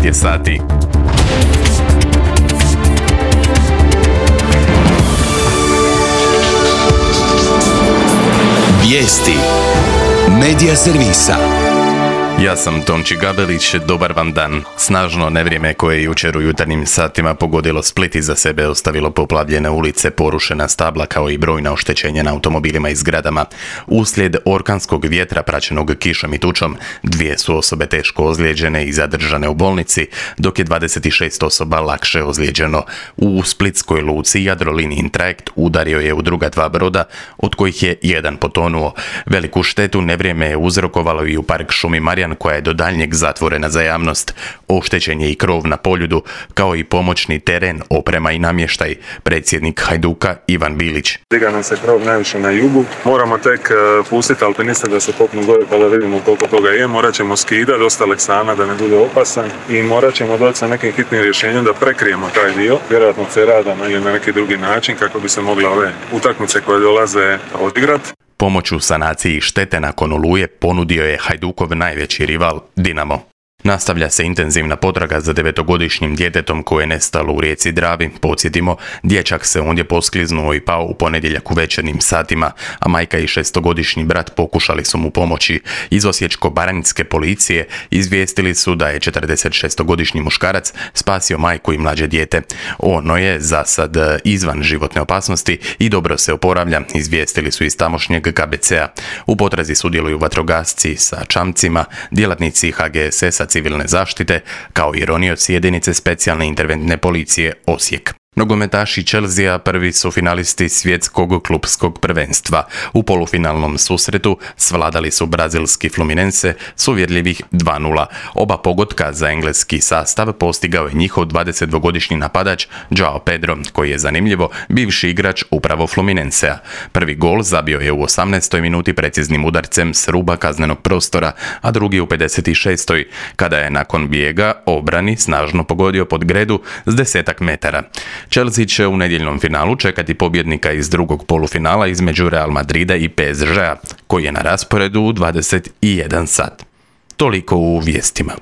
9 je sati. Vijesti Medija servisa. Ja sam Tonči Gabelić, dobar vam dan. Snažno nevrijeme koje je jučer u jutarnjim satima pogodilo Split iza sebe ostavilo poplavljene ulice, porušena stabla kao i brojna oštećenja na automobilima i zgradama. Uslijed orkanskog vjetra praćenog kišom i tučom, 2 su osobe teško ozlijeđene i zadržane u bolnici, dok je 26 osoba lakše ozlijeđeno. U splitskoj luci Jadrolinijin trajekt udario je u druga 2 broda, od kojih je 1 potonuo. Veliku štetu nevrijeme je uzrokovalo i u park šumi Marjan, koja je do daljnjeg zatvorena za javnost. Oštećen je i krov na Poljudu, kao i pomoćni teren, oprema i namještaj. Predsjednik Hajduka Ivan Bilić. Diga nam se krov najviše na jugu. Moramo tek pustiti alpiniste da se popnu gore pa da vidimo koliko toga je. Morat ćemo skidati dosta leksana da ne bude opasan i morat ćemo doći sa nekim hitnim rješenjem da prekrijemo taj dio. Vjerojatno ceradama ili na neki drugi način kako bi se mogle ove utakmice koje dolaze odigrati. Pomoć u sanaciji štete nakon oluje ponudio je Hajdukov najveći rival Dinamo. Nastavlja se intenzivna potraga za 9-godišnjim djetetom koje je nestalo u rijeci Dravi. Podsjetimo, dječak se ondje poskliznuo i pao u ponedjeljak u večernjim satima, a majka i 6-godišnji brat pokušali su mu pomoći. Iz Osječko-baranjske policije izvijestili su da je 46-godišnji muškarac spasio majku i mlađe dijete. Ono je za sad izvan životne opasnosti i dobro se oporavlja, izvijestili su iz tamošnjeg KBC-a. U potrazi sudjeluju vatrogasci sa čamcima, djelatnici HGSS-a civilne zaštite, kao i ronioci jedinice specijalne interventne policije Osijek. Nogometaši Chelsea prvi su finalisti svjetskog klupskog prvenstva. U polufinalnom susretu svladali su brazilski Fluminense s uvjerljivih 2:0. Oba pogotka za engleski sastav postigao je njihov 22-godišnji napadač Joao Pedro, koji je zanimljivo bivši igrač upravo Fluminensea. Prvi gol zabio je u 18. minuti preciznim udarcem s ruba kaznenog prostora, a drugi u 56. kada je nakon bijega obrani snažno pogodio pod gredu s 10 metara. Chelsea će u nedjeljnom finalu čekati pobjednika iz drugog polufinala između Real Madrida i PSG-a, koji je na rasporedu u 21 sat. Toliko u vijestima.